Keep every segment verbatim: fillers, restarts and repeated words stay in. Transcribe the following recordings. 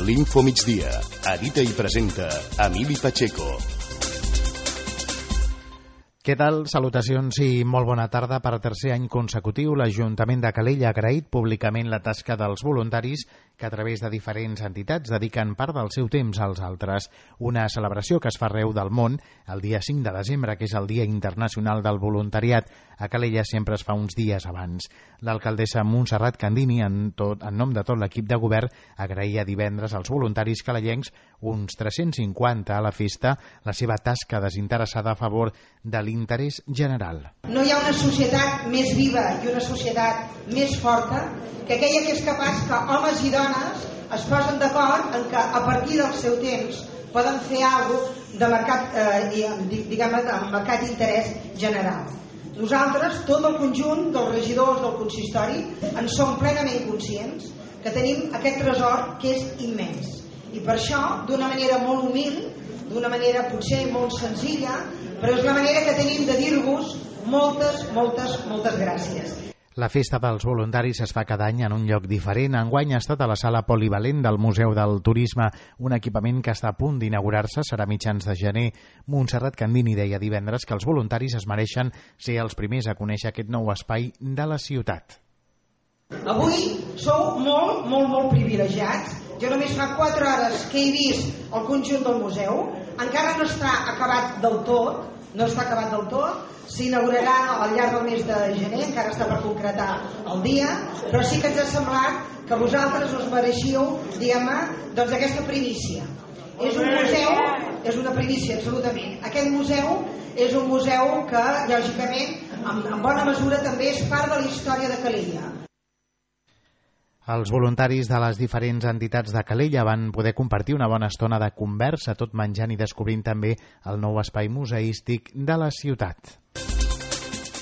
L'Info Migdia. Edita i presenta Emili Pacheco. Què tal? Salutacions i molt bona tarda. Per tercer any consecutiu, l'Ajuntament de Calella ha agraït públicament la tasca dels voluntaris que a través de diferents entitats dediquen part del seu temps als altres. Una celebració que es fa arreu del món el dia cinc de desembre, que és el Dia Internacional del Voluntariat. A Calella sempre es fa uns dies abans. L'alcaldessa Montserrat Candini, en, tot, en nom de tot l'equip de govern, agraïa divendres als voluntaris calellencs, uns tres-cents cinquanta a la festa, la seva tasca desinteressada a favor de l'interès general. No hi ha una societat més viva i una societat més forta que aquella que és capaç que homes i dones es posen d'acord en que a partir del seu temps poden fer alguna cosa de mercat, eh, diguem-ne, de mercat d'interès general. Nosaltres, tot el conjunt dels regidors del consistori, en som plenament conscients que tenim aquest tresor que és immens. I per això, d'una manera molt humil, d'una manera potser molt senzilla, però és la manera que tenim de dir-vos moltes, moltes, moltes gràcies. La festa dels voluntaris es fa cada any en un lloc diferent. Enguany ha estat a la sala polivalent del Museu del Turisme, un equipament que està a punt d'inaugurar-se, serà mitjans de gener. Montserrat Candini deia divendres que els voluntaris es mereixen ser els primers a conèixer aquest nou espai de la ciutat. Avui sou molt, molt, molt privilegiats. Jo només fa quatre hores que he vist el conjunt del museu. Encara no està acabat del tot, no està acabat del tot. S'inaugurarà al llarg del mes de gener, encara està per concretar el dia, però sí que ens ha semblat que vosaltres us mereixíeu, diguem-ne, doncs aquesta primícia. És un museu, és una primícia absolutament. Aquest museu és un museu que, lògicament, en, en bona mesura també és part de la història de Calella. Els voluntaris de les diferents entitats de Calella van poder compartir una bona estona de conversa, tot menjant i descobrint també el nou espai museístic de la ciutat.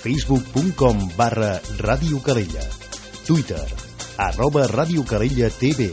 Facebook punt com barra Ràdio Calella. Twitter, arroba Ràdio Calella T V.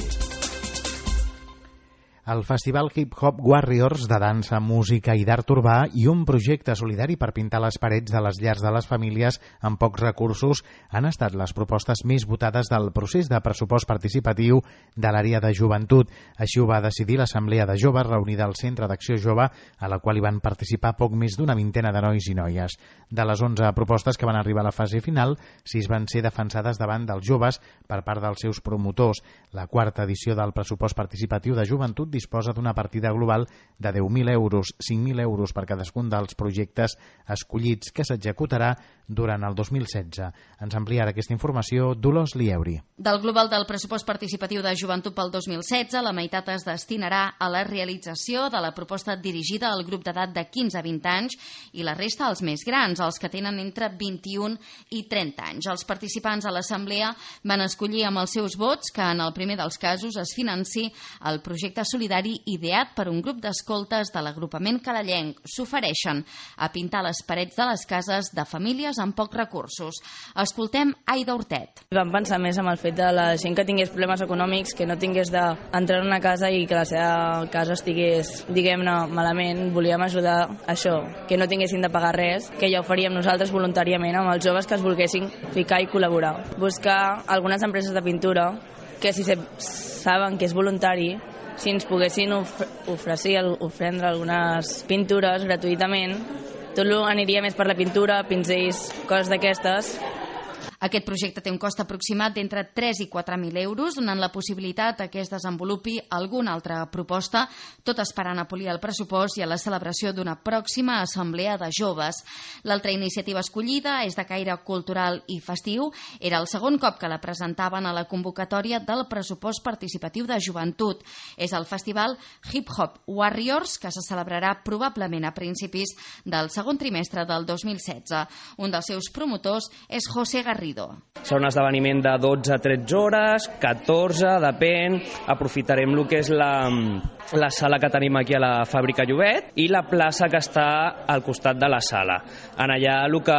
El Festival Hip Hop Warriors de dansa, música i d'art urbà i un projecte solidari per pintar les parets de les llars de les famílies amb pocs recursos han estat les propostes més votades del procés de pressupost participatiu de l'àrea de joventut. Així ho va decidir l'Assemblea de Joves reunida al Centre d'Acció Jove, a la qual hi van participar poc més d'una vintena de nois i noies. De les onze propostes que van arribar a la fase final, sis van ser defensades davant dels joves per part dels seus promotors. La quarta edició del pressupost participatiu de joventut disposa d'una partida global de deu mil euros, cinc mil euros per cadascun dels projectes escollits, que s'executarà durant el dos mil setze. Ens ampliarà aquesta informació Dolors Lieuri. Del global del pressupost participatiu de joventut pel dos mil setze, la meitat es destinarà a la realització de la proposta dirigida al grup d'edat de quinze a vint anys i la resta als més grans, els que tenen entre vint-i-un i trenta anys. Els participants a l'assemblea van escollir amb els seus vots que en el primer dels casos es financi el projecte solidari ideat per un grup d'escoltes de l'agrupament calellenc. S'ofereixen a pintar les parets de les cases de famílies amb pocs recursos. Escoltem Aida Hortet. Vam pensar més en el fet de la gent que tingués problemes econòmics, que no tingués d'entrar en una casa i que la seva casa estigués, diguem-ne, malament. Volíem ajudar a això, que no tinguessin de pagar res, que ja ho faríem nosaltres voluntàriament amb els joves que es volguessin ficar i col·laborar. Buscar algunes empreses de pintura que, si saben que és voluntari, si ens poguessin of oferir, ofendre algunes pintures gratuïtament, tot aniria més per la pintura, pinzells, coses d'aquestes. Aquest projecte té un cost aproximat d'entre tres i quatre mil euros, donant la possibilitat que es desenvolupi alguna altra proposta, tot esperant a polir el pressupost i a la celebració d'una pròxima assemblea de joves. L'altra iniciativa escollida és de caire cultural i festiu. Era el segon cop que la presentaven a la convocatòria del pressupost participatiu de joventut. És el festival Hip Hop Warriors, que se celebrarà probablement a principis del segon trimestre del dos mil setze. Un dels seus promotors és José Garrido. Serà un esdeveniment de dotze a tretze hores, catorze, depèn. Aprofitarem el que és la, la sala que tenim aquí a la Fàbrica Llobet i la plaça que està al costat de la sala. En allà el que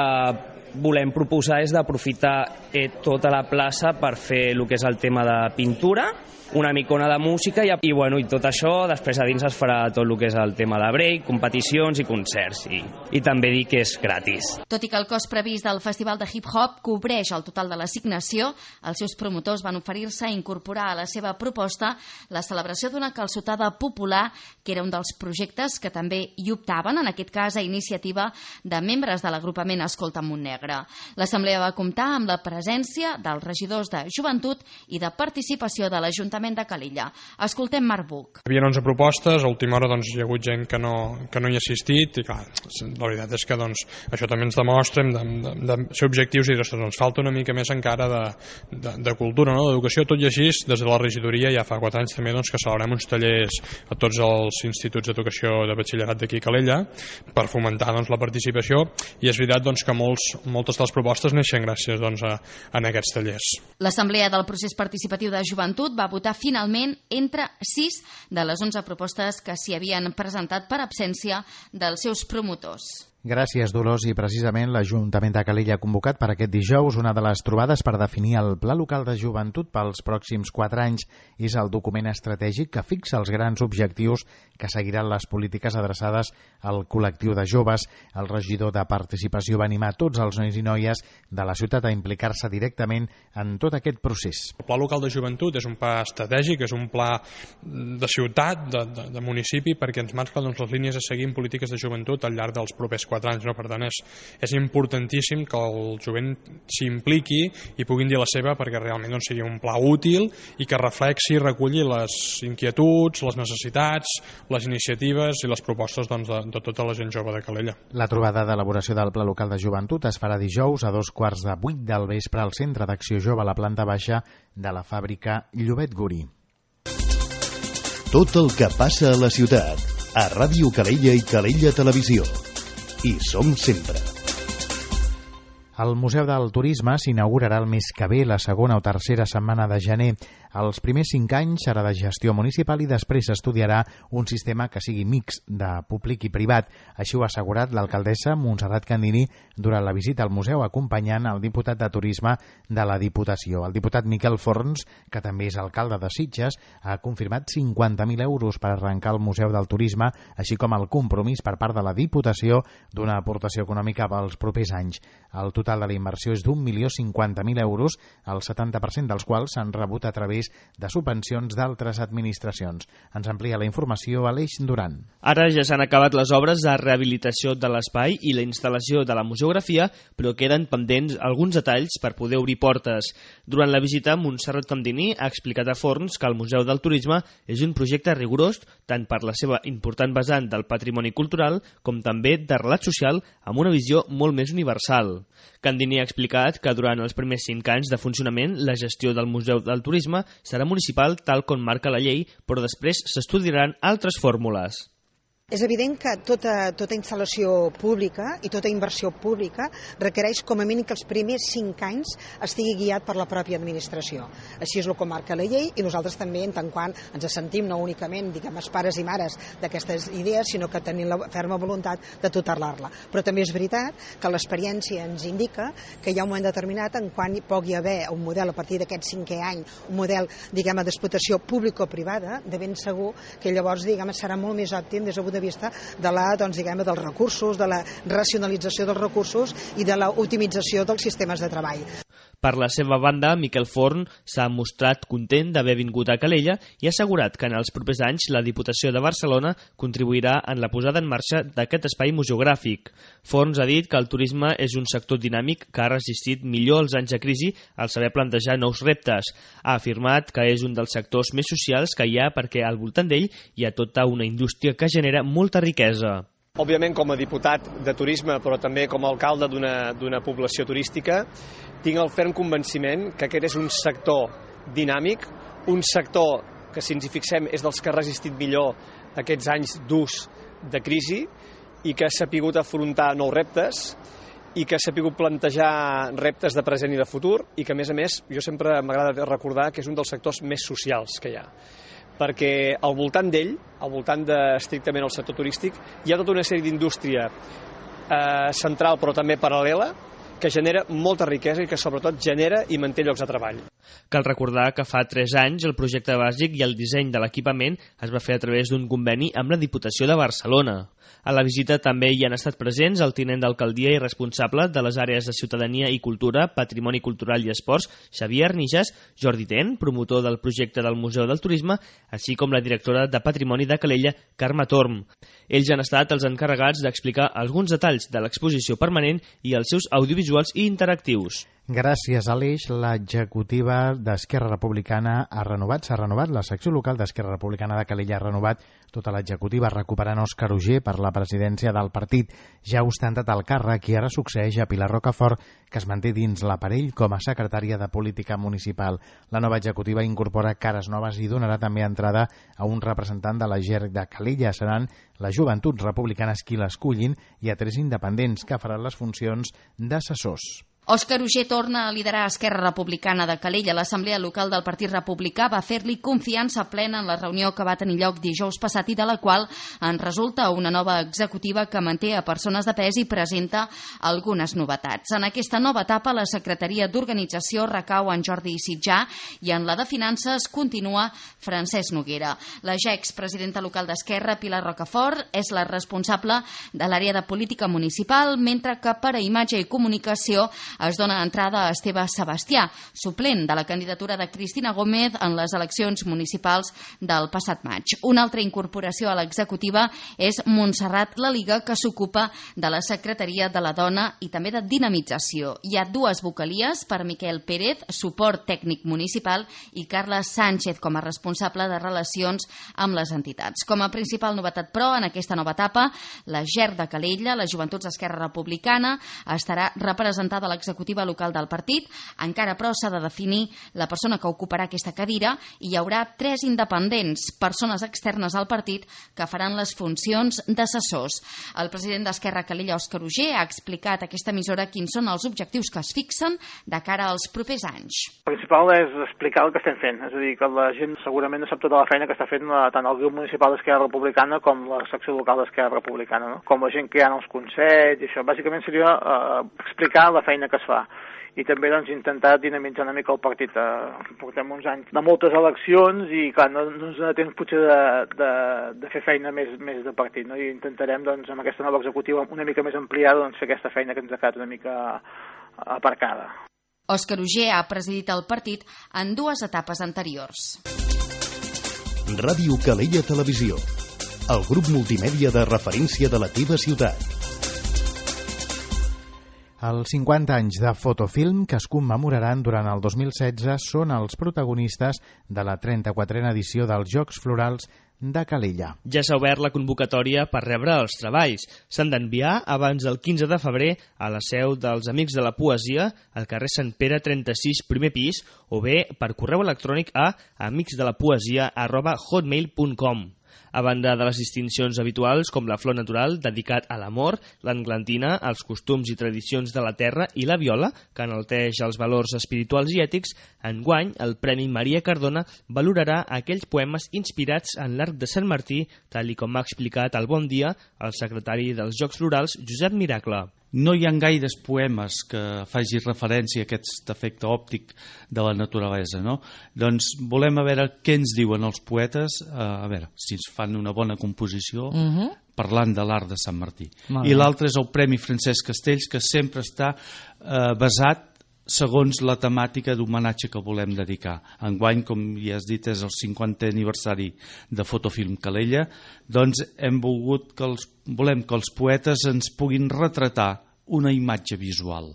volem proposar és d'aprofitar eh, tota la plaça per fer el que és el tema de pintura, una micona de música i, i, bueno, i tot això, després a dins es farà tot el que és el tema de break, competicions i concerts, i, i també dir que és gratis. Tot i que el cost previst del Festival de Hip Hop cobreix el total de l'assignació, els seus promotors van oferir-se a incorporar a la seva proposta la celebració d'una calçotada popular, que era un dels projectes que també hi optaven, en aquest cas a iniciativa de membres de l'agrupament Escolta Montnegre. L'assemblea va comptar amb la presència dels regidors de Joventut i de Participació de l'Ajuntament de Calella. Escoltem Marc Buch. Hi havia onze propostes, a última hora doncs, hi ha hagut gent que no, que no hi ha assistit i clar, la veritat és que doncs, això també ens demostra de, de, de ser objectius i dir, ostres, ens falta una mica més encara de, de, de cultura, no? D'educació, tot i així, des de la regidoria ja fa quatre anys també doncs, que celebrem uns tallers a tots els instituts d'educació de batxillerat d'aquí a Calella per fomentar doncs, la participació, i és veritat doncs, que molts, moltes de les propostes neixen gràcies doncs, a, a aquests tallers. L'Assemblea del Procés Participatiu de Joventut va votar finalment entre sis de les onze propostes que s'hi havien presentat per absència dels seus promotors. Gràcies, Dolors. I precisament l'Ajuntament de Calella ha convocat per aquest dijous una de les trobades per definir el Pla Local de Joventut pels pròxims quatre anys. És el document estratègic que fixa els grans objectius que seguiran les polítiques adreçades al col·lectiu de joves. El regidor de Participació va animar tots els nois i noies de la ciutat a implicar-se directament en tot aquest procés. El Pla Local de Joventut és un pla estratègic, és un pla de ciutat, de, de, de municipi, perquè ens marca doncs, les línies a seguir en polítiques de joventut al llarg dels propers quatre anys, no? Per tant, és, és importantíssim que el jovent s'impliqui i puguin dir la seva perquè realment doncs, sigui un pla útil i que reflexi i reculli les inquietuds, les necessitats, les iniciatives i les propostes doncs, de, de tota la gent jove de Calella. La trobada d'elaboració del Pla Local de Joventut es farà dijous a dos quarts de vuit del vespre al Centre d'Acció Jove a la planta baixa de la fàbrica Llobet Guri. Tot el que passa a la ciutat, a Ràdio Calella i Calella Televisió. Hi som sempre. El Museu del Turisme s'inaugurarà el mes que ve, la segona o tercera setmana de gener. Els primers cinc anys serà de gestió municipal i després s'estudiarà un sistema que sigui mix de públic i privat. Així ho ha assegurat l'alcaldessa Montserrat Candini durant la visita al museu, acompanyant el diputat de Turisme de la Diputació. El diputat Miquel Forns, que també és alcalde de Sitges, ha confirmat cinquanta mil euros per arrencar el Museu del Turisme, així com el compromís per part de la Diputació d'una aportació econòmica pels propers anys. El total de la inversió és d'un milió cinquanta mil euros, el setanta per cent dels quals s'han rebut a través de subvencions d'altres administracions. Ens amplia la informació Aleix Duran. Ara ja s'han acabat les obres de rehabilitació de l'espai i la instal·lació de la museografia, però queden pendents alguns detalls per poder obrir portes. Durant la visita, Montserrat Candini ha explicat a Forns que el Museu del Turisme és un projecte rigorós tant per la seva important vessant del patrimoni cultural com també de relat social amb una visió molt més universal. Candini ha explicat que durant els primers cinc anys de funcionament la gestió del Museu del Turisme serà municipal tal com marca la llei, però després s'estudiaran altres fórmules. És evident que tota, tota instal·lació pública i tota inversió pública requereix com a mínim que els primers cinc anys estigui guiat per la pròpia administració. Així és el que marca la llei i nosaltres també, en tant quant ens sentim no únicament, diguem, els pares i mares d'aquestes idees, sinó que tenim la ferma voluntat de tutelar-la. Però també és veritat que l'experiència ens indica que hi ha un moment determinat en quan hi pugui haver un model a partir d'aquest cinquè any, un model, diguem, d'explotació público-privada, de ben segur que llavors, diguem, serà molt més òptim des del de vista de la, doncs, diguem, dels recursos, de la racionalització dels recursos i de la optimització dels sistemes de treball. Per la seva banda, Miquel Forn s'ha mostrat content d'haver vingut a Calella i ha assegurat que en els propers anys la Diputació de Barcelona contribuirà en la posada en marxa d'aquest espai museogràfic. Forns ha dit que el turisme és un sector dinàmic que ha resistit millor els anys de crisi al saber plantejar nous reptes. Ha afirmat que és un dels sectors més socials que hi ha perquè al voltant d'ell hi ha tota una indústria que genera molta riquesa. Òbviament, com a diputat de turisme, però també com a alcalde d'una població turística, tinc el ferm convenciment que aquest és un sector dinàmic, un sector que, si ens hi fixem, és dels que ha resistit millor aquests anys durs de crisi i que ha sapigut afrontar nous reptes i que ha sapigut plantejar reptes de present i de futur i que, a més a més, jo sempre m'agrada recordar que és un dels sectors més socials que hi ha. Perquè al voltant d'ell, al voltant de, estrictament el sector turístic, hi ha tota una sèrie d'indústria eh, central però també paral·lela que genera molta riquesa i que sobretot genera i manté llocs de treball. Cal recordar que fa tres anys el projecte bàsic i el disseny de l'equipament es va fer a través d'un conveni amb la Diputació de Barcelona. A la visita també hi han estat presents el tinent d'alcaldia i responsable de les àrees de Ciutadania i Cultura, Patrimoni Cultural i Esports, Xavier Arnijas, Jordi Ten, promotor del projecte del Museu del Turisme, així com la directora de Patrimoni de Calella, Carme Torm. Ells han estat els encarregats d'explicar alguns detalls de l'exposició permanent i els seus audiovisuals i interactius. Gràcies, Aleix, l'executiva d'Esquerra Republicana ha renovat, s'ha renovat, la secció local d'Esquerra Republicana de Calella ha renovat tota l'executiva, recuperant Òscar Uger per la presidència del partit. Ja ha ostentat el càrrec i ara succeeix a Pilar Rocafort, que es manté dins l'aparell com a secretària de Política Municipal. La nova executiva incorpora cares noves i donarà també entrada a un representant de la G E R de Calella. Seran les Joventuts Republicanes qui l'escullin i a tres independents que faran les funcions d'assessors. Òscar Uger torna a liderar Esquerra Republicana de Calella. L'Assemblea Local del Partit Republicà va fer-li confiança plena en la reunió que va tenir lloc dijous passat i de la qual en resulta una nova executiva que manté a persones de pes i presenta algunes novetats. En aquesta nova etapa, la Secretaria d'Organització recau en Jordi Sitjà i en la de Finances continua Francesc Noguera. La ja expresidenta local d'Esquerra, Pilar Rocafort, és la responsable de l'àrea de política municipal, mentre que per a imatge i comunicació es dona entrada a Esteve Sebastià, suplent de la candidatura de Cristina Gómez en les eleccions municipals del passat maig. Una altra incorporació a l'executiva és Montserrat Laliga, que s'ocupa de la Secretaria de la Dona i també de Dinamització. Hi ha dues vocalies per Miquel Pérez, suport tècnic municipal, i Carla Sánchez com a responsable de relacions amb les entitats. Com a principal novetat, però, en aquesta nova etapa, la G E R de Calella, les Joventuts d'Esquerra Republicana, estarà representada a l'executiva local del partit. Encara, però, s'ha de definir la persona que ocuparà aquesta cadira i hi haurà tres independents, persones externes al partit, que faran les funcions d'assessors. El president d'Esquerra Calella, Òscar Uger, ha explicat a aquesta emissora quins són els objectius que es fixen de cara als propers anys. El principal és explicar el que estem fent, és a dir, que la gent segurament no sap tota la feina que està fent tant el grup municipal d'Esquerra Republicana com la secció local d'Esquerra Republicana, no? Com la gent que hi ha en els consells i això. Bàsicament seria eh, explicar la feina que es fa i també doncs, intentar dinamitzar una mica el partit. Eh, portem uns anys de moltes eleccions i clar, no, no ens dona temps potser de, de, de fer feina més, més de partit, no? I intentarem doncs, amb aquesta nova executiva una mica més ampliada doncs, fer aquesta feina que ens ha quedat una mica aparcada. Òscar Uger ha presidit el partit en dues etapes anteriors. Ràdio Calella Televisió, el grup multimèdia de referència de la teva ciutat. Els cinquanta anys de fotofilm que es commemoraran durant el dos mil setze són els protagonistes de la trenta-quatrena edició dels Jocs Florals de Calella. Ja s'ha obert la convocatòria per rebre els treballs. S'han d'enviar abans del quinze de febrer a la seu dels Amics de la Poesia, al carrer Sant Pere trenta-sis, primer pis, o bé per correu electrònic a amicsdelapoesia arroba hotmail punt com. A banda de les distincions habituals com la Flor Natural, dedicat a l'amor, l'englantina, els costums i tradicions de la terra i la viola, que enalteix els valors espirituals i ètics, enguany el Premi Maria Cardona valorarà aquells poemes inspirats en l'arc de Sant Martí, tal i com ha explicat al Bon Dia el secretari dels Jocs Florals, Josep Miracle. No hi ha gaires poemes que faci referència a aquest efecte òptic de la naturalesa, no? Doncs volem a veure què ens diuen els poetes, a veure si ens fan una bona composició, uh-huh. parlant de l'art de Sant Martí. Molt I l'altre és el Premi Francesc Castells, que sempre està eh, basat segons la temàtica d'homenatge que volem dedicar. Enguany, com ja has dit, és el cinquantè aniversari de Fotofilm Calella, doncs hem volgut que els, volem que els poetes ens puguin retratar una imatge visual.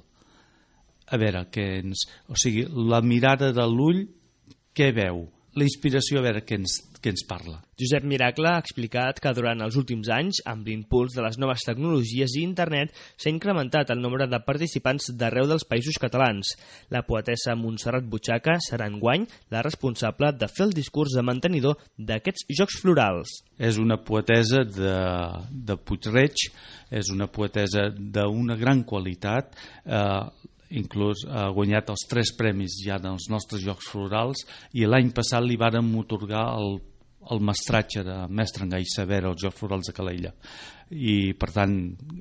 A veure, què ens, o sigui, la mirada de l'ull, què veu? La inspiració, a veure què ens, què ens parla. Josep Miracle ha explicat que durant els últims anys, amb l'impuls de les noves tecnologies i internet, s'ha incrementat el nombre de participants d'arreu dels països catalans. La poetessa Montserrat Butxaca serà enguany la responsable de fer el discurs de mantenidor d'aquests Jocs Florals. És una poetessa de, de Puig-reig, és una poetessa d'una gran qualitat, eh, inclús ha guanyat els tres premis ja dels nostres Jocs Florals i l'any passat li vàrem atorgar el, el mestratge de Mestre en Gai Saber als Jocs Florals de Calella. i per tant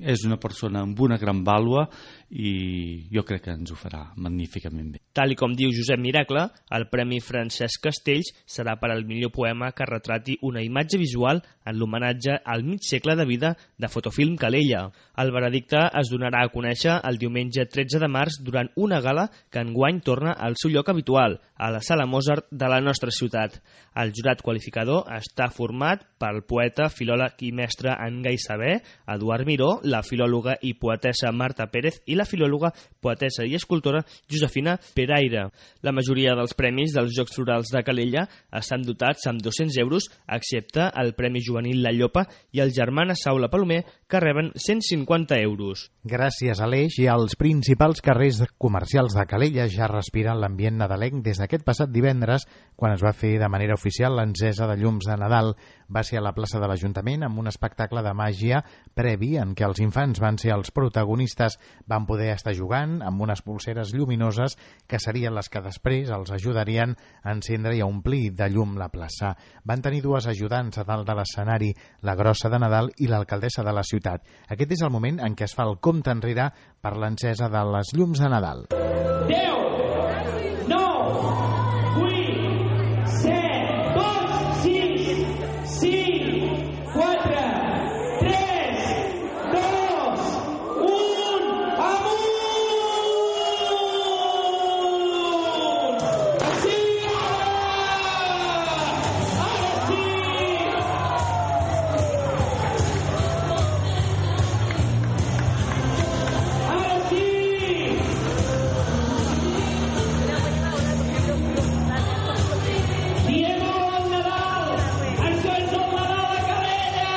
és una persona amb una gran vàlua i jo crec que ens ho farà magníficament bé. Tal i com diu Josep Miracle, el Premi Francesc Castells serà per al millor poema que retrati una imatge visual en l'homenatge al mig segle de vida de Fotofilm Calella. El veredicte es donarà a conèixer el diumenge tretze de març durant una gala que enguany torna al seu lloc habitual, a la Sala Mozart de la nostra ciutat. El jurat qualificador està format pel poeta, filòleg i mestre en gai saber, Eduard Miró, la filòloga i poetessa Marta Pérez i la filòloga, poetessa i escultora Josefina Peraire. La majoria dels premis dels Jocs Florals de Calella estan dotats amb dos-cents euros, excepte el Premi Juvenil La Llopa i el Germana Saula Palomer, que reben cent cinquanta euros. Gràcies a l'Eix i als principals carrers comercials de Calella ja respiren l'ambient nadalenc des d'aquest passat divendres, quan es va fer de manera oficial l'encesa de llums de Nadal. Va ser a la plaça de l'Ajuntament amb un espectacle de màgia previ en què els infants van ser els protagonistes. Van poder estar jugant amb unes pulseres lluminoses que serien les que després els ajudarien a encendre i a omplir de llum la plaça. Van tenir dues ajudants a dalt de l'escenari, la grossa de Nadal i l'alcaldessa de la ciutat. Aquest és el moment en què es fa el compte enrere per l'encesa de les llums de Nadal. deu, nou, vuit, set, dos, sis, cinc, quatre, tres, dos, un, amunt! Sí! Ara sí! Ara sí! Diem al Nadal! Això és el Nadal a Calella!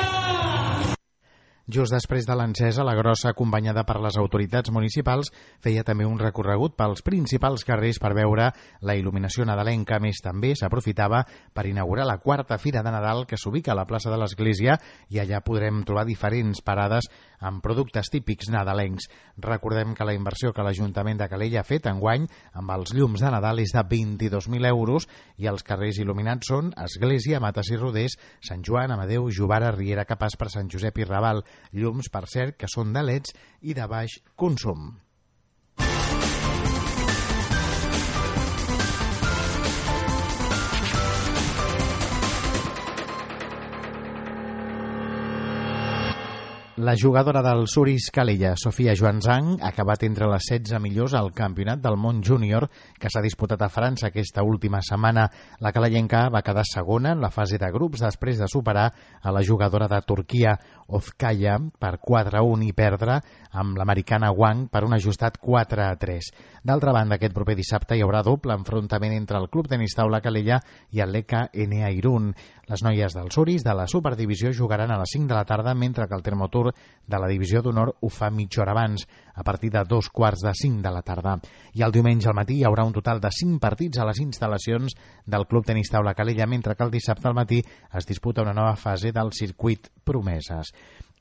Just després de l'encesa, la grossa, acompanyada per les autoritats municipals, feia també un recorregut pels principals carrers per veure la il·luminació nadalenca. A més, també s'aprofitava per inaugurar la quarta Fira de Nadal, que s'ubica a la plaça de l'Església, i allà podrem trobar diferents parades amb productes típics nadalencs. Recordem que la inversió que l'Ajuntament de Calella ha fet enguany amb els llums de Nadal és de vint-i-dos mil euros i els carrers il·luminats són Església, Mates i Rodés, Sant Joan, Amadeu, Jovara, Riera, Capaç per Sant Josep i Raval. Llums, per cert, que són de leds i de baix consum. La jugadora del Suris Calella, Sofia Joanzang, ha acabat entre les setze millors al Campionat del Món Júnior que s'ha disputat a França aquesta última setmana. La calellenca va quedar segona en la fase de grups després de superar a la jugadora de Turquia, Ozkaya, per quatre a un i perdre amb l'americana Wang per un ajustat quatre a tres. D'altra banda, aquest proper dissabte hi haurà doble enfrontament entre el Club Tenis Taula Calella i el L K N A Irún. Les noies del Suris de la Superdivisió jugaran a les cinc de la tarda, mentre que el Termotur de la Divisió d'Honor ho fa mitja hora abans, a partir de dos quarts de cinc de la tarda. I el diumenge al matí hi haurà un total de cinc partits a les instal·lacions del Club Tenis Taula Calella, mentre que el dissabte al matí es disputa una nova fase del circuit Promeses.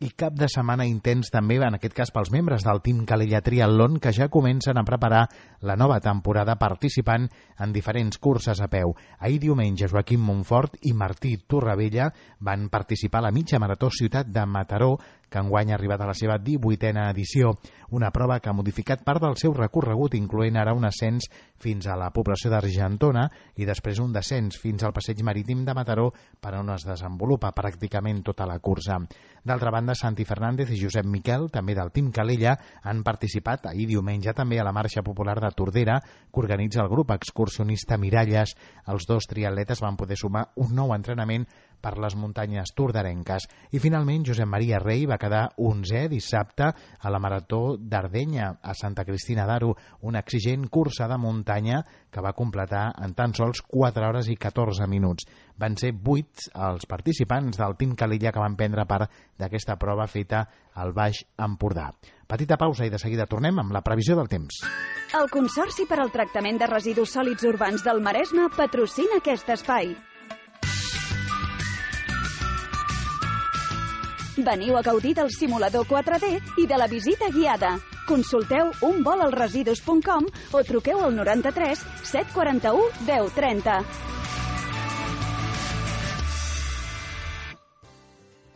I cap de setmana intens també, en aquest cas pels membres del Team Calella Triatlon, que ja comencen a preparar la nova temporada participant en diferents curses a peu. Ahir diumenge Joaquim Montfort i Martí Torrevella van participar a la mitja marató Ciutat de Mataró, que enguany ha arribat a la seva divuitena edició, una prova que ha modificat part del seu recorregut, incloent ara un ascens fins a la població d'Argentona i després un descens fins al passeig marítim de Mataró, per on es desenvolupa pràcticament tota la cursa. D'altra banda, Santi Fernández i Josep Miquel, també del Team Calella, han participat ahir diumenge també a la Marxa Popular de Tordera, que organitza el grup excursionista Miralles. Els dos triatletes van poder sumar un nou entrenament per les muntanyes tordarenques. I finalment, Josep Maria Rey va quedar onzè dissabte a la Marató d'Ardenya, a Santa Cristina d'Aro, una exigent cursa de muntanya que va completar en tan sols quatre hores i catorze minuts. Van ser vuit els participants del Team Calella que van prendre part d'aquesta prova feta al Baix Empordà. Petita pausa i de seguida tornem amb la previsió del temps. El Consorci per al Tractament de Residus Sòlids Urbans del Maresme patrocina aquest espai. Veniu a gaudir del simulador quatre D i de la visita guiada. Consulteu un vol als residus punt com o truqueu al noranta-tres set quaranta-u deu trenta.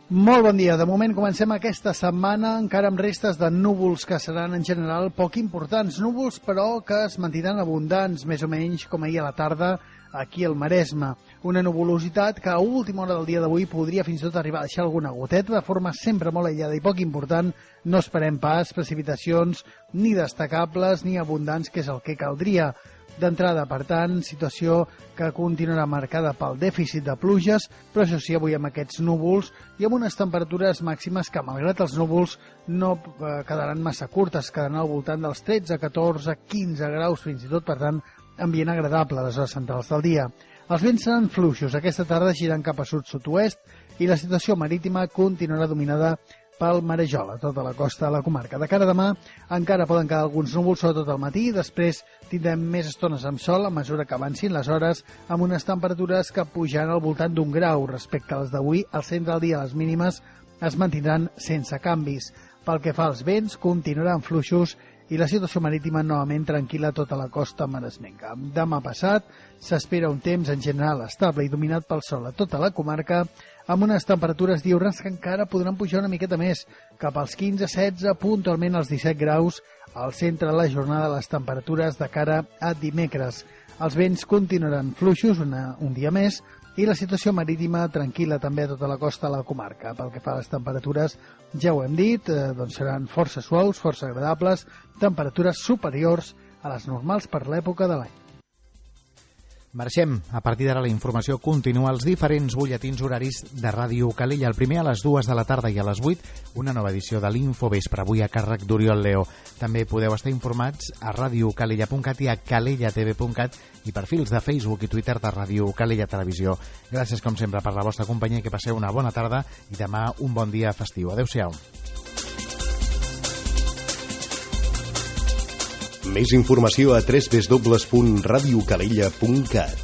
Molt bon dia. De moment comencem aquesta setmana encara amb restes de núvols que seran en general poc importants. Núvols, però, que es mantindran abundants, més o menys com ahir a la tarda aquí al Maresme. Una nuvolositat que a última hora del dia d'avui podria fins i tot arribar a deixar alguna goteta de forma sempre molt aïllada i poc important. No esperem pas precipitacions ni destacables ni abundants, que és el que caldria. D'entrada, per tant, situació que continuarà marcada pel dèficit de pluges, però això sí, avui amb aquests núvols i amb unes temperatures màximes que, malgrat els núvols, no quedaran massa curtes, quedaran al voltant dels tretze, catorze, quinze graus, fins i tot, per tant, ambient agradable a les hores centrals del dia. Els vents seran fluixos, aquesta tarda giran cap a sud-sud-oest i la situació marítima continuarà dominada pel marejol a tota la costa de la comarca. De cara a demà encara poden quedar alguns núvols, sobretot al matí, després tindrem més estones amb sol a mesura que avancin les hores, amb unes temperatures que pujaran al voltant d'un grau respecte a les d'avui. Al centre del dia les mínimes es mantindran sense canvis. Pel que fa als vents, continuaran fluixos i la situació marítima novament tranquil·la a tota la costa maresmenca. Demà passat s'espera un temps en general estable i dominat pel sol a tota la comarca, amb unes temperatures diürnes que encara podran pujar una miqueta més, cap als quinze setze, puntualment als disset graus, al centre de la jornada les temperatures de cara a dimecres. Els vents continuaran fluixos una, un dia més i la situació marítima tranquil·la també a tota la costa de la comarca. Pel que fa a les temperatures, ja ho hem dit, eh, doncs seran força suaus, força agradables, temperatures superiors a les normals per l'època de l'any. Marxem. A partir d'ara la informació continua als diferents butlletins horaris de Ràdio Calella. El primer a les dues de la tarda i a les vuit, una nova edició de l'Infovespre, avui a càrrec d'Oriol Leo. També podeu estar informats a radiocalella punt cat i a calella t v punt cat i perfils de Facebook i Twitter de Ràdio Calella Televisió. Gràcies, com sempre, per la vostra companyia, que passeu una bona tarda i demà un bon dia festiu. Adéu-siau. Més informació a w w w punt radiocalella punt cat.